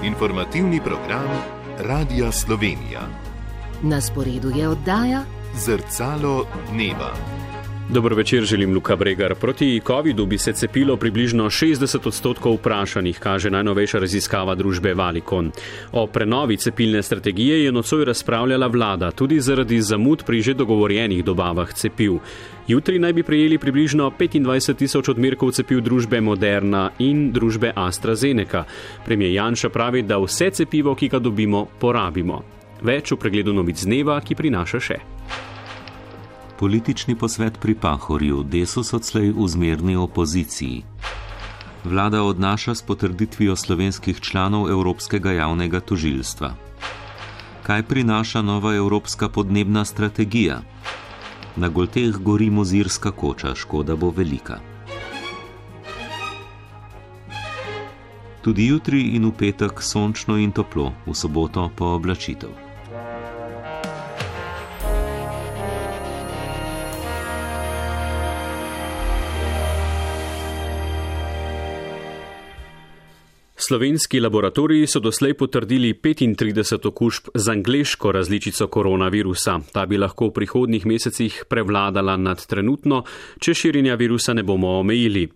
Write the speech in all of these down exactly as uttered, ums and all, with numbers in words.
Informativni program Radia Slovenija. Na sporedu je oddaja Zrcalo dneva. Dobro večer, želim Luka Bregar. Proti covidu bi se cepilo približno šestdeset odstotkov vprašanih, kaže najnovejša raziskava družbe Valicon. O prenovi cepilne strategije je nocoj razpravljala vlada, tudi zaradi zamud pri že dogovorjenih dobavah cepiv. Jutri naj bi prejeli približno petindvajset tisoč odmerkov cepiv družbe Moderna in družbe AstraZeneca. Premier Janša pravi, da vse cepivo, ki ga dobimo, porabimo. Več v pregledu novic dneva, ki prinaša še. Politični posvet pri Pahorju, Desus odslej v zmerni opoziciji. Vlada odnaša s potrditvijo slovenskih članov Evropskega javnega tožilstva. Kaj prinaša nova evropska podnebna strategija? Na Golteh gori mozirska koča, škoda bo velika. Tudi jutri in v petek sončno in toplo, v soboto pa oblačitev. Slovenski laboratoriji so doslej potrdili petintrideset okužb z angleško različico koronavirusa. Ta bi lahko v prihodnjih mesecih prevladala nad trenutno, če širjenja virusa ne bomo omejili.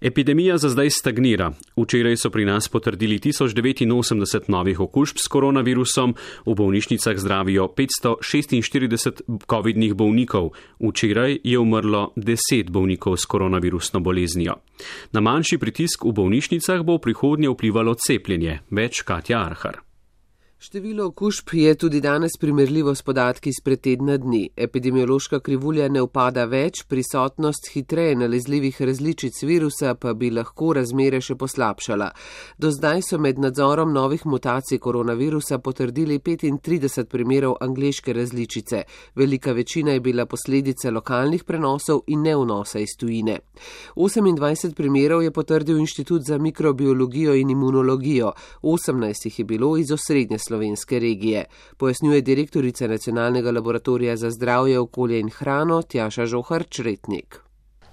Epidemija za zdaj stagnira. Včeraj so pri nas potrdili tisoč devetinosemdeset novih okužb s koronavirusom, v bolnišnicah zdravijo petsto šestinštirideset covidnih bolnikov. Včeraj je umrlo deset bolnikov s koronavirusno boleznijo. Na manjši pritisk v bolnišnicah bo v prihodnje vplivalo cepljenje. Več Katja Arhar. Število okužb je tudi danes primerljivo s podatki izpred tedna dni. Epidemiološka krivulja ne upada več, prisotnost hitreje nalezljivih različic virusa pa bi lahko razmere še poslabšala. Do zdaj so med nadzorom novih mutacij koronavirusa potrdili petintrideset primerov angleške različice. Velika večina je bila posledica lokalnih prenosov in ne vnosa iz tujine. osemindvajset primerov je potrdil Inštitut za mikrobiologijo in imunologijo, osemnajst jih je bilo iz osrednje slovenske regije, pojasnjuje direktorica Nacionalnega laboratorija za zdravje, okolje in hrano Tjaša Žohar-Čretnik.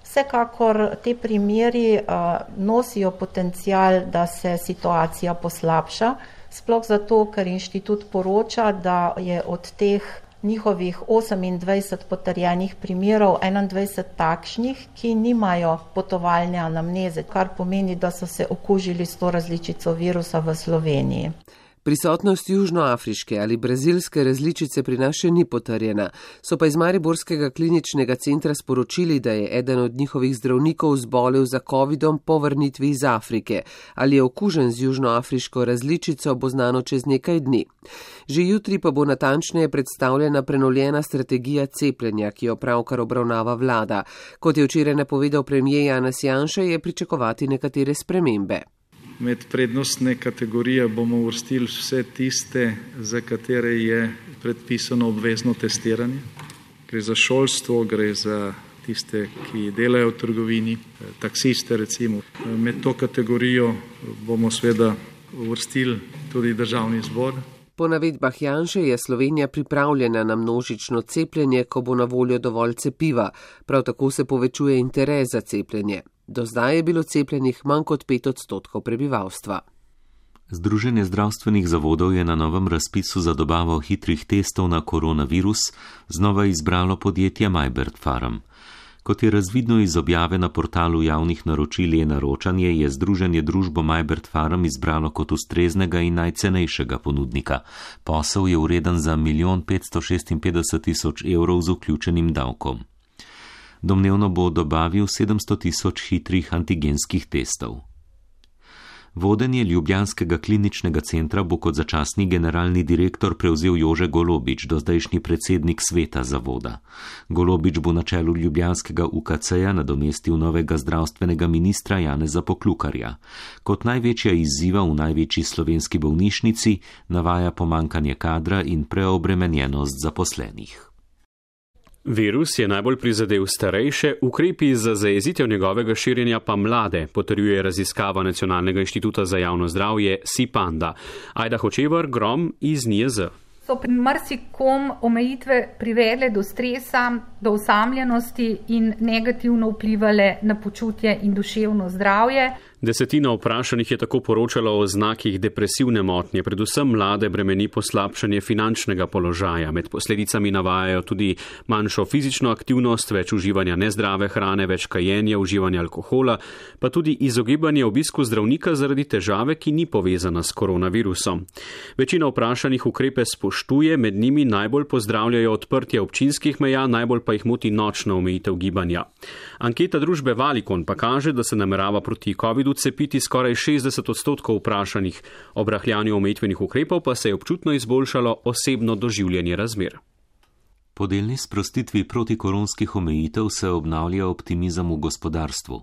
Vsekakor te primeri uh, nosijo potencial, da se situacija poslabša, sploh zato, ker inštitut poroča, da je od teh njihovih osemindvajset potrjenih primerov enaindvajset takšnih, ki nimajo potovalne anamneze, kar pomeni, da so se okužili s to različico virusa v Sloveniji. Prisotnost južnoafriške ali brazilske različice pri nas še ni potrjena, so pa iz Mariborskega kliničnega centra sporočili, da je eden od njihovih zdravnikov zbolel za covidom po vrnitvi iz Afrike. Ali je okužen z južnoafriško različico, bo znano čez nekaj dni. Že jutri pa bo natančneje predstavljena prenovljena strategija cepljenja, ki jo pravkar obravnava vlada. Kot je včeraj napovedal premier Janez Janša, je pričakovati nekatere spremembe. Med prednostne kategorije bomo uvrstili vse tiste, za katere je predpisano obvezno testiranje. Gre za šolstvo, gre za tiste, ki delajo v trgovini, taksiste recimo. Med to kategorijo bomo seveda uvrstili tudi državni zbor. Po navedbah Janše je Slovenija pripravljena na množično cepljenje, ko bo na voljo dovolj cepiva. Prav tako se povečuje interes za cepljenje. Do zdaj je bilo cepljenih manj kot pet odstotkov prebivalstva. Združenje zdravstvenih zavodov je na novem razpisu za dobavo hitrih testov na koronavirus znova izbralo podjetje Majbert Pharm. Kot je razvidno iz objave na portalu javnih naročil e-naročanje, je združenje družbo Majbert Pharm izbralo kot ustreznega in najcenejšega ponudnika. Posel je vreden za milijon petsto šestinpetdeset tisoč evrov z vključenim davkom. Domnevno bo dobavil sedemsto tisoč hitrih antigenskih testov. Vodenje ljubljanskega kliničnega centra bo kot začasni generalni direktor prevzel Jože Golobič, dozdajšnji predsednik sveta zavoda. Golobič bo na čelu ljubljanskega U K C-ja nadomestil novega zdravstvenega ministra Janeza Poklukarja. Kot največja izziva v največji slovenski bolnišnici navaja pomanjkanje kadra in preobremenjenost zaposlenih. Virus je najbolj prizadel starejše, ukrepi za zajezitev njegovega širjenja pa mlade, potrjuje raziskava Nacionalnega inštituta za javno zdravje SIPANDA. Ajda Hočevar, Grom iz N I J Z. So pri marsikom omejitve privedle do stresa, do osamljenosti in negativno vplivale na počutje in duševno zdravje. Desetina vprašanih je tako poročala o znakih depresivne motnje, predvsem mlade bremeni poslabšanje finančnega položaja. Med posledicami navajajo tudi manjšo fizično aktivnost, več uživanja nezdrave hrane, več kajenja, uživanja alkohola, pa tudi izogibanje obisku zdravnika zaradi težave, ki ni povezana s koronavirusom. Večina vprašanih ukrepe spoštuje, med njimi najbolj pozdravljajo odprtje občinskih meja, najbolj pa jih moti nočna omejitev gibanja. Anketa družbe Valicon pa kaže, da se namerava proti covidu cepiti skoraj šestdeset odstotkov vprašanih. Ob rahljanju omejitvenih ukrepov pa se je občutno izboljšalo osebno doživljanje razmer. Po delni sprostitvi protikoronskih omejitev se obnavlja optimizem v gospodarstvu.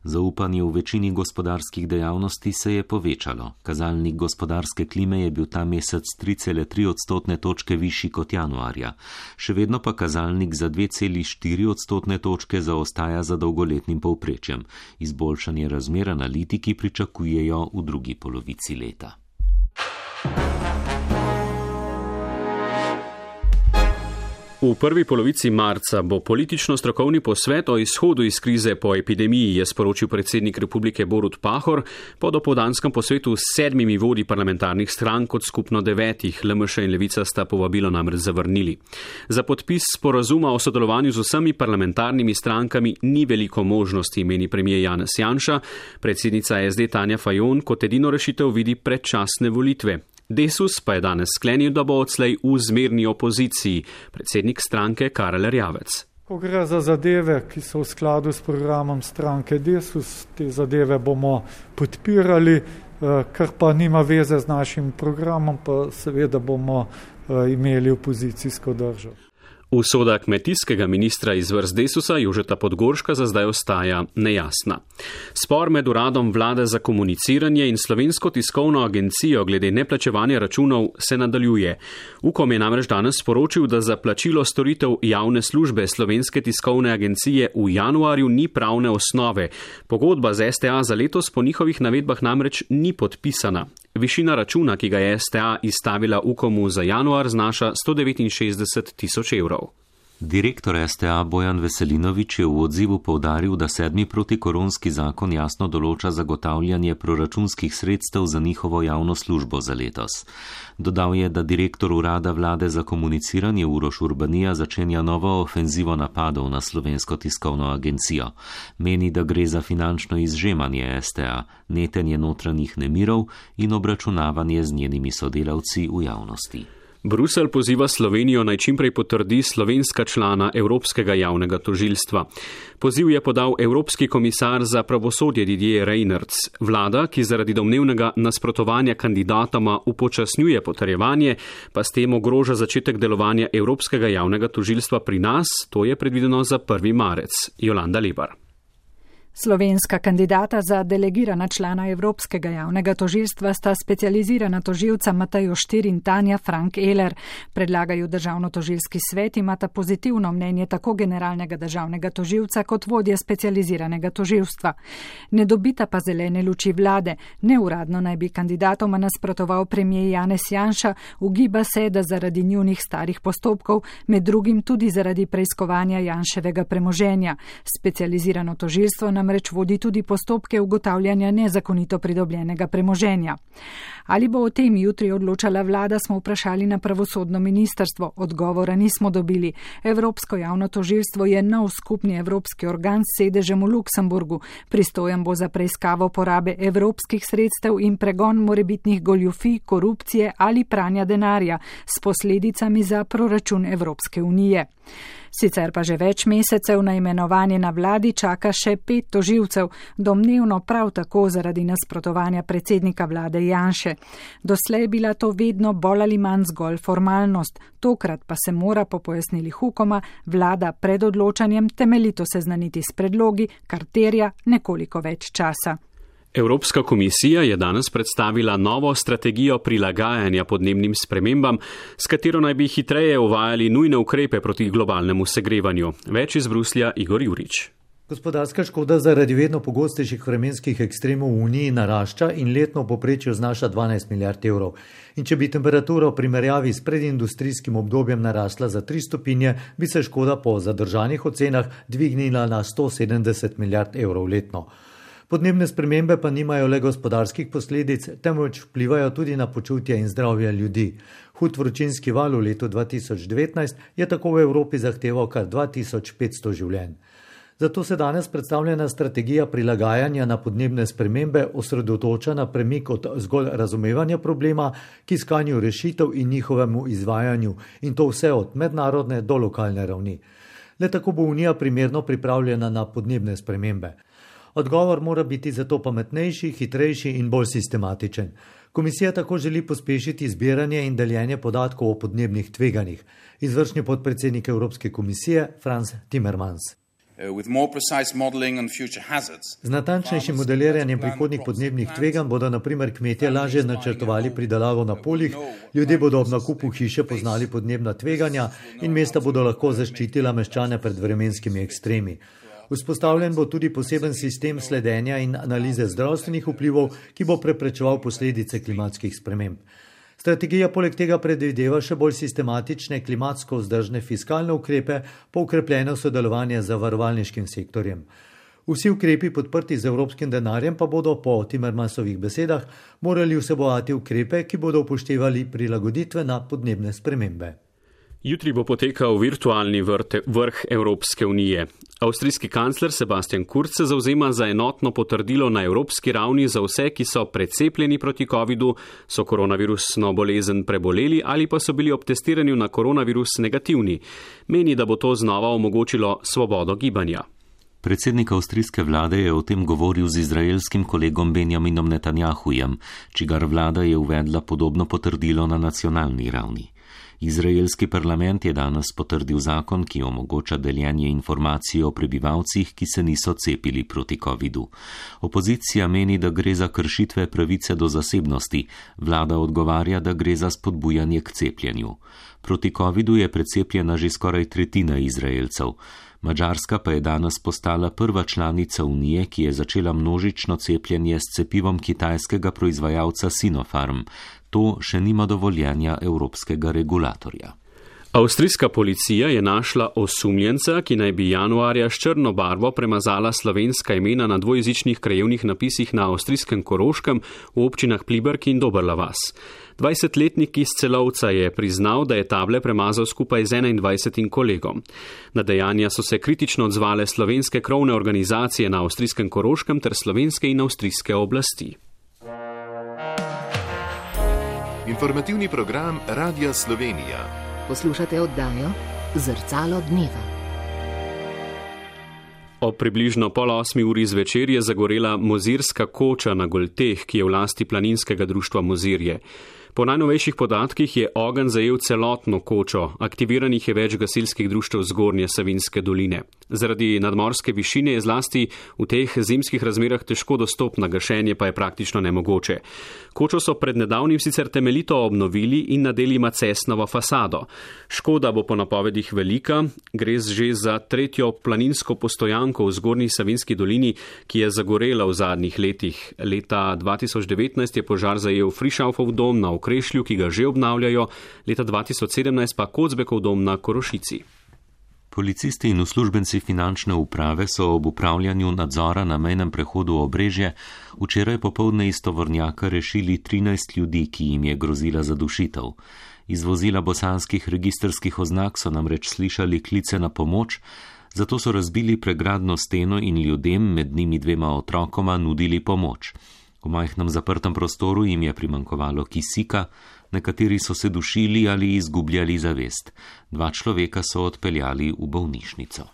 Zaupanje v večini gospodarskih dejavnosti se je povečalo. Kazalnik gospodarske klime je bil ta mesec tri cele tri odstotne točke višji kot januarja. Še vedno pa kazalnik za dve cele štiri odstotne točke zaostaja za dolgoletnim povprečjem. Izboljšanje razmer analitiki pričakujejo v drugi polovici leta. V prvi polovici marca bo politično-strokovni posvet o izhodu iz krize po epidemiji, je sporočil predsednik Republike Borut Pahor po dopoldanskem posvetu s sedmimi vodji parlamentarnih strank od skupno devetih. L M Š in Levica sta povabilo namreč zavrnili. Za podpis sporazuma o sodelovanju z vsemi parlamentarnimi strankami ni veliko možnosti, meni premier Janez Janša. Predsednica S D Tanja Fajon kot edino rešitev vidi predčasne volitve. Desus pa je danes sklenil, da bo odslej v zmerni opoziciji, predsednik stranke Karel Erjavec. Ko gre za zadeve, ki so v skladu s programom stranke Desus, te zadeve bomo podpirali, kar pa nima veze z našim programom, pa seveda bomo imeli opozicijsko držo. Usoda kmetijskega ministra iz vrst Desusa Jožeta Podgorška za zdaj ostaja nejasna. Spor med uradom vlade za komuniciranje in Slovensko tiskovno agencijo glede neplačevanja računov se nadaljuje. Ukom je namreč danes sporočil, da za plačilo storitev javne službe Slovenske tiskovne agencije v januarju ni pravne osnove. Pogodba z S T A za letos po njihovih navedbah namreč ni podpisana. Višina računa, ki ga je S T A izstavila Ukomu za januar, znaša sto devetinšestdeset tisoč evrov. Direktor S T A Bojan Veselinovič je v odzivu poudaril, da sedmi protikoronski zakon jasno določa zagotavljanje proračunskih sredstev za njihovo javno službo za letos. Dodal je, da direktor urada vlade za komuniciranje Uroš Urbanija začenja novo ofenzivo napadov na Slovensko tiskovno agencijo. Meni, da gre za finančno izžemanje S T A, netenje notranjih nemirov in obračunavanje z njenimi sodelavci v javnosti. Bruselj poziva Slovenijo naj čimprej potrdi slovenska člana Evropskega javnega tožilstva. Poziv je podal Evropski komisar za pravosodje Didier Reynders. Vlada, ki zaradi domnevnega nasprotovanja kandidatoma upočasnjuje potrjevanje, pa s tem ogroža začetek delovanja Evropskega javnega tožilstva pri nas, to je predvideno za prvi marec. Jolanda Lebar. Slovenska kandidata za delegirana člana Evropskega javnega tožilstva sta specializirana tožilca Matej Oštir in Tanja Frank Eler. Predlagajo državno-tožilski svet, imata pozitivno mnenje tako generalnega državnega tožilca kot vodje specializiranega tožilstva. Ne dobita pa zelene luči vlade. Neuradno naj bi kandidatoma nasprotoval premier Janez Janša, ugiba se, da zaradi njunih starih postopkov, med drugim tudi zaradi preiskovanja Janševega premoženja. Specializirano tožilstvo nam namreč vodi tudi postopke ugotavljanja nezakonito pridobljenega premoženja. Ali bo o tem jutri odločala vlada, smo vprašali na pravosodno ministrstvo. Odgovora nismo dobili. Evropsko javno tožilstvo je nov skupni evropski organ s sedežem v Luksemburgu. Pristojen bo za preiskavo porabe evropskih sredstev in pregon morebitnih goljufij, korupcije ali pranja denarja s posledicami za proračun Evropske unije. Sicer pa že več mesecev na imenovanje na vladi čaka še pet tožilcev, domnevno prav tako zaradi nasprotovanja predsednika vlade Janše. Doslej je bila to vedno bolj ali manj zgolj formalnost, tokrat pa se mora po pojasnilih Ukoma vlada pred odločanjem temeljito seznaniti s predlogi, kar terja nekoliko več časa. Evropska komisija je danes predstavila novo strategijo prilagajanja podnebnim spremembam, s katero naj bi hitreje uvajali nujne ukrepe proti globalnemu segrevanju. Več iz Bruslja Igor Jurič. Gospodarska škoda zaradi vedno pogostejših vremenskih ekstremov v Uniji narašča in letno v povprečju znaša dvanajst milijard evrov. In če bi temperatura v primerjavi s predindustrijskim obdobjem narasla za tri stopinje, bi se škoda po zadržanih ocenah dvignila na sto sedemdeset milijard evrov letno. Podnebne spremembe pa nimajo le gospodarskih posledic, temveč vplivajo tudi na počutje in zdravje ljudi. Hud vročinski val v letu dva tisoč devetnajst je tako v Evropi zahteval kar dva tisoč petsto življenj. Zato se danes predstavljena strategija prilagajanja na podnebne spremembe osredotoča na premik od zgolj razumevanja problema k iskanju rešitev in njihovemu izvajanju, in to vse od mednarodne do lokalne ravni. Le tako bo Unija primerno pripravljena na podnebne spremembe. Odgovor mora biti zato pametnejši, hitrejši in bolj sistematičen. Komisija tako želi pospešiti zbiranje in deljenje podatkov o podnebnih tveganjih. Izvršni podpredsednik Evropske komisije Frans Timmermans. Z natančnejšim modeliranjem prihodnjih podnebnih tveganj bodo na primer kmetje lažje načrtovali pridelavo na poljih, ljudje bodo ob nakupu hiše poznali podnebna tveganja in mesta bodo lahko zaščitila meščane pred vremenskimi ekstremi. Vzpostavljen bo tudi poseben sistem sledenja in analize zdravstvenih vplivov, ki bo preprečeval posledice klimatskih sprememb. Strategija poleg tega predvideva še bolj sistematične klimatsko vzdržne fiskalne ukrepe po ukrepljeno sodelovanje z zavarovalniškim sektorjem. Vsi ukrepi podprti z evropskim denarjem pa bodo po Timmermansovih besedah morali vsebovati ukrepe, ki bodo upoštevali prilagoditve na podnebne spremembe. Jutri bo potekal virtualni vrh Evropske unije. Avstrijski kancler Sebastian Kurz se zavzema za enotno potrdilo na evropski ravni za vse, ki so precepljeni proti covidu, so koronavirusno bolezen preboleli ali pa so bili ob testiranju na koronavirus negativni. Meni, da bo to znova omogočilo svobodo gibanja. Predsednik avstrijske vlade je o tem govoril z izraelskim kolegom Benjaminom Netanjahujem, čigar vlada je uvedla podobno potrdilo na nacionalni ravni. Izraelski parlament je danes potrdil zakon, ki omogoča deljenje informacij o prebivalcih, ki se niso cepili proti covidu. Opozicija meni, da gre za kršitve pravice do zasebnosti, vlada odgovarja, da gre za spodbujanje k cepljenju. Proti covidu je precepljena že skoraj tretjina Izraelcev. Madžarska pa je danes postala prva članica Unije, ki je začela množično cepljenje s cepivom kitajskega proizvajalca Sinopharm. To še nima dovoljenja evropskega regulatorja. Avstrijska policija je našla osumljenca, ki naj bi januarja s črno barvo premazala slovenska imena na dvojezičnih krajevnih napisih na avstrijskem Koroškem v občinah Pliberk in Doberla vas. dvajsetletnik iz Celovca je priznal, da je table premazal skupaj z enaindvajsetim kolegom. Na dejanja so se kritično odzvale slovenske krovne organizacije na avstrijskem Koroškem ter slovenske in avstrijske oblasti. Informativni program Radia Slovenija. Poslušate oddajo Zrcalo dneva. Ob približno pol osmi uri zvečer je zagorela mozirska koča na Golteh, ki je v lasti planinskega društva Mozirje. Po najnovejših podatkih je ogenj zajel celotno kočo, aktiviranih je več gasilskih društev Zgornje Savinjske doline. Zaradi nadmorske višine je zlasti v teh zimskih razmerah težko dostopna, gašenje pa je praktično nemogoče. Kočo so pred nedavnim sicer temeljito obnovili in nadeli macesnovo fasado. Škoda bo po napovedih velika, gre že za tretjo planinsko postojanko v Zgornji Savinjski dolini, ki je zagorela v zadnjih letih. Leta dva tisoč devetnajst je požar zajel Frišaufov dom na Okrešlju, ki ga že obnavljajo, leta dva tisoč sedemnajst pa Kocbekov dom na Korošici. Policisti in uslužbenci finančne uprave so ob upravljanju nadzora na mejnem prehodu Obrežje včeraj popoldne iz tovornjaka rešili trinajst ljudi, ki jim je grozila zadušitev. Iz vozila bosanskih registrskih oznak so namreč slišali klice na pomoč, zato so razbili pregradno steno in ljudem, med njimi dvema otrokoma, nudili pomoč. V majhnem zaprtem prostoru jim je primanjkovalo kisika, nekateri so se dušili ali izgubljali zavest. Dva človeka so odpeljali v bolnišnico.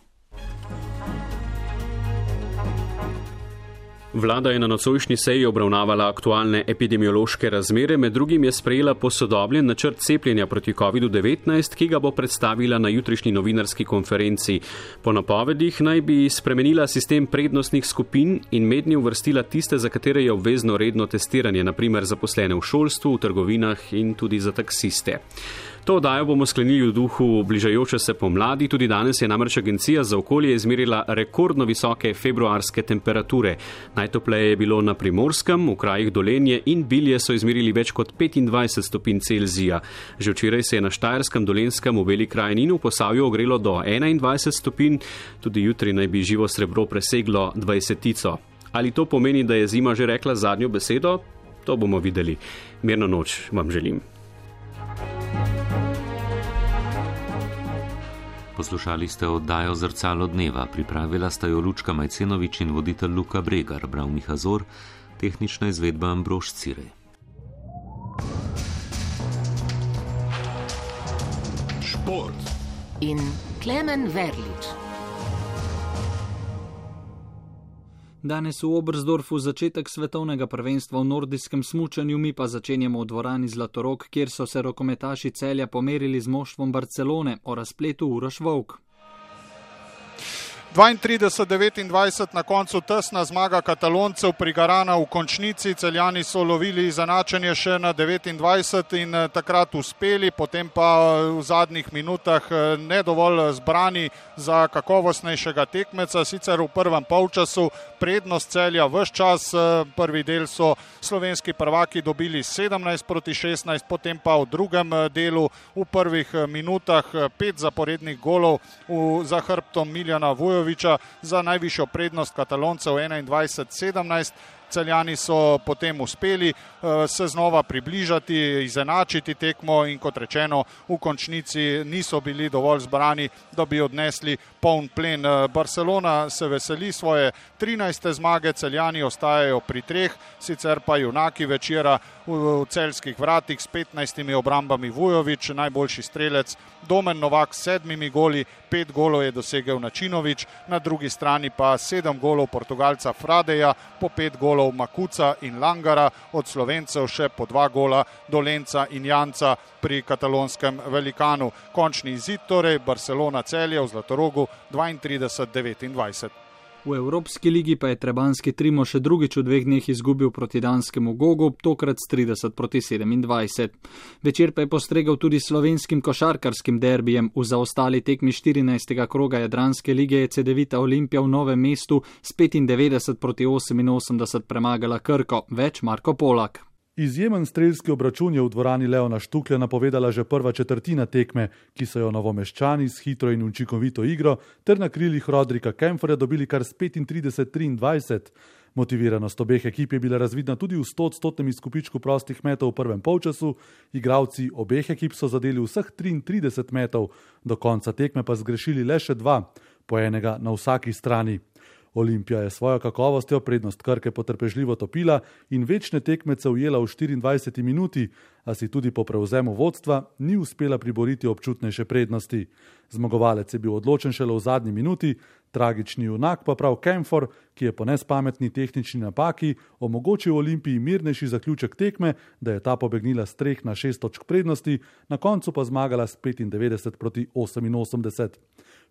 Vlada je na nocojšnji seji obravnavala aktualne epidemiološke razmere, med drugim je sprejela posodobljen načrt cepljenja proti kovidu devetnajst, ki ga bo predstavila na jutrišnji novinarski konferenci. Po napovedih naj bi spremenila sistem prednostnih skupin in mednje uvrstila tiste, za katere je obvezno redno testiranje, na primer zaposlene v šolstvu, v trgovinah in tudi za taksiste. To oddajo bomo sklenili v duhu bližajoče se pomladi, tudi danes je namreč Agencija za okolje izmerila rekordno visoke februarske temperature. Najtopleje je bilo na Primorskem, v krajih Dolenje in Bilje so izmerili več kot petindvajset stopinj Celzija. Že včeraj se je na Štajerskem, Dolenskem, v Beli krajini in v Posavju ogrelo do enaindvajset stopinj, tudi jutri naj bi živo srebro preseglo dvajsetico. Ali to pomeni, da je zima že rekla zadnjo besedo? To bomo videli. Mirno noč vam želim. Poslušali ste oddajo Zrcalo dneva, pripravila sta jo Lučka Majcenovič in voditelj Luka Bregar, bral Miha Zor, tehnična izvedba Ambrož Cirej. Šport in Klemen Verlič. Danes v Oberstdorfu začetek svetovnega prvenstva v nordijskem smučanju, mi pa začenjamo v dvorani Zlatorog, kjer so se rokometaši Celja pomerili z moštvom Barcelone. O razpletu Uroš Volk. dvaintrideset devetindvajset na koncu tesna zmaga Kataloncev pri Garana v končnici. Celjani so lovili izenačenje še na devetindvajset in takrat uspeli, potem pa v zadnjih minutah ne dovolj zbrani za kakovostnejšega tekmeca. Sicer v prvem polčasu prednost Celja ves čas, prvi del so slovenski prvaki dobili sedemnajst proti šestnajst, potem pa v drugem delu v prvih minutah pet zaporednih golov v, za hrbtom Miljana Vujovića za najvišjo prednost Kataloncev enaindvajset sedemnajst. Celjani so potem uspeli uh, se znova približati, izenačiti tekmo in kot rečeno v končnici niso bili dovolj zbrani, da bi odnesli poln plen. Barcelona se veseli svoje trinajste zmage, Celjani ostajajo pri treh, sicer pa junaki večera v, v celjskih vratih s petnajstimi obrambami Vujović, najboljši strelec Domen Novak s sedmimi goli, pet golov je dosegel Načinović, na drugi strani pa sedem golov Portugalca Fradeja, po pet golov Makuca in Langara, od Slovencev še po dva gola Dolenca in Janca pri katalonskem velikanu. Končni izid torej Barcelona Celje v Zlatorogu dvaintrideset devetindvajset. V Evropski ligi pa je trebanski Trimo še drugič v dveh dneh izgubil proti danskemu Gogu, tokrat s trideset proti sedemindvajset. Večer pa je postregel tudi slovenskim košarkarskim derbijem. V zaostali tekmi štirinajstega kroga Jadranske lige je Cedevita Olimpija v Novem mestu s petindevetdeset proti oseminosemdeset premagala Krko. Več Marko Polak. Izjemen strelski obračun je v dvorani Leona Štuklja napovedala že prva četrtina tekme, ki so jo Novomeščani s hitro in učinkovito igro ter na krilih Rodrika Kempferja dobili kar s petintrideset triindvajset. Motiviranost obeh ekip je bila razvidna tudi v stoodstotnem izkupičku prostih metov v prvem polčasu, igralci obeh ekip so zadeli vseh triintrideset metov, do konca tekme pa zgrešili le še dva, po enega na vsaki strani. Olimpija je svojo kakovostjo prednost Krke potrpežljivo topila in večne tekmece ujela v štiriindvajseti minuti, a si tudi po prevzemu vodstva ni uspela priboriti občutnejše prednosti. Zmagovalec je bil odločen šele v zadnji minuti, tragični junak pa prav Kempfer, ki je po nespametni tehnični napaki omogočil Olimpiji mirnejši zaključek tekme, da je ta pobegnila s treh na šest točk prednosti, na koncu pa zmagala s petindevetdeset proti oseminosemdeset.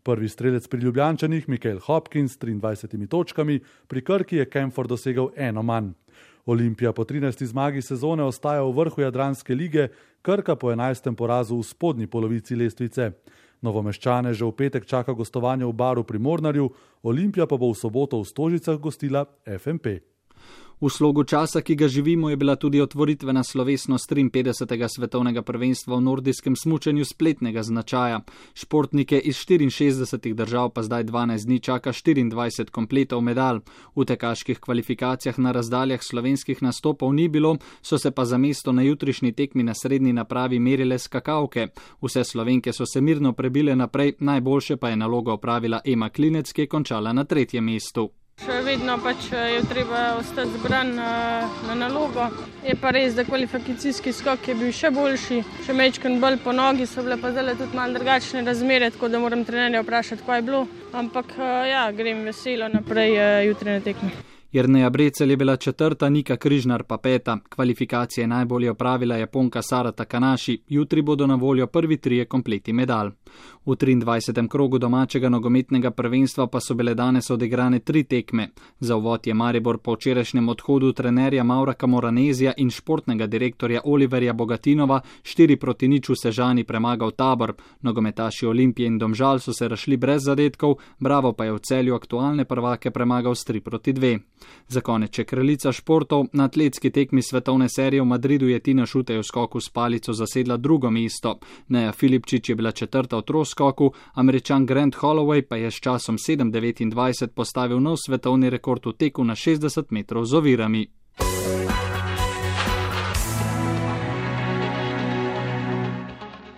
Prvi strelec pri Ljubljančanih, Mikael Hopkins s triindvajsetimi točkami, pri Krki je Kempfer dosegel eno manj. Olimpija po trinajsti zmagi sezone ostaja v vrhu Jadranske lige, Krka po enajstem porazu v spodnji polovici lestvice. Novomeščane že v petek čaka gostovanje v Baru pri Mornarju, Olimpija pa bo v soboto v Stožicah gostila F M P. V slogu časa, ki ga živimo, je bila tudi otvoritvena slovesnost triinpetdesetega svetovnega prvenstva v nordijskem smučanju spletnega značaja. Športnike iz štiriinšestdesetih držav pa zdaj dvanajst dni čaka štiriindvajset kompletov medalj. V tekaških kvalifikacijah na razdaljah slovenskih nastopov ni bilo, so se pa za mesto na jutrišnji tekmi na srednji napravi merile skakavke. Vse Slovenke so se mirno prebile naprej, najboljše pa je nalogo opravila Ema Klinec, ki je končala na tretjem mestu. Še vedno pač je treba ostati zbran na, na nalogo. Je pa res, da kvalifikacijski skok je bil še boljši, še mečken bolj po nogi, so bile pa zdaj tudi malo drugačne razmere, tako da moram trenerja vprašati, kaj je bilo. Ampak ja, grem veselo naprej jutri na tekmi. Jerneja Brecelj je bila četrta, Nika Križnar pa peta. Kvalifikacije najbolje opravila Japonka Sara Takanashi. Jutri bodo na voljo prvi trije kompleti medalj. V triindvajsetem krogu domačega nogometnega prvenstva pa so bile danes odigrane tri tekme. Za uvod je Maribor po včerajšnjem odhodu trenerja Mauraka Moranezija in športnega direktorja Oliverja Bogatinova štiri proti nič v Sežani premagal Tabor. Nogometaši Olimpije in Domžal so se razšli brez zadetkov, Bravo pa je v Celju aktualne prvake premagal s tri proti dve. Za konec je kraljica športov. Na atletski tekmi svetovne serije v Madridu je Tina Šutej v skoku s palico zasedla drugo mesto. Neja Filipčič je bila četrta v troskoku, Američan Grant Holloway pa je s časom sedem devetindvajset postavil nov svetovni rekord v teku na šestdeset metrov z ovirami.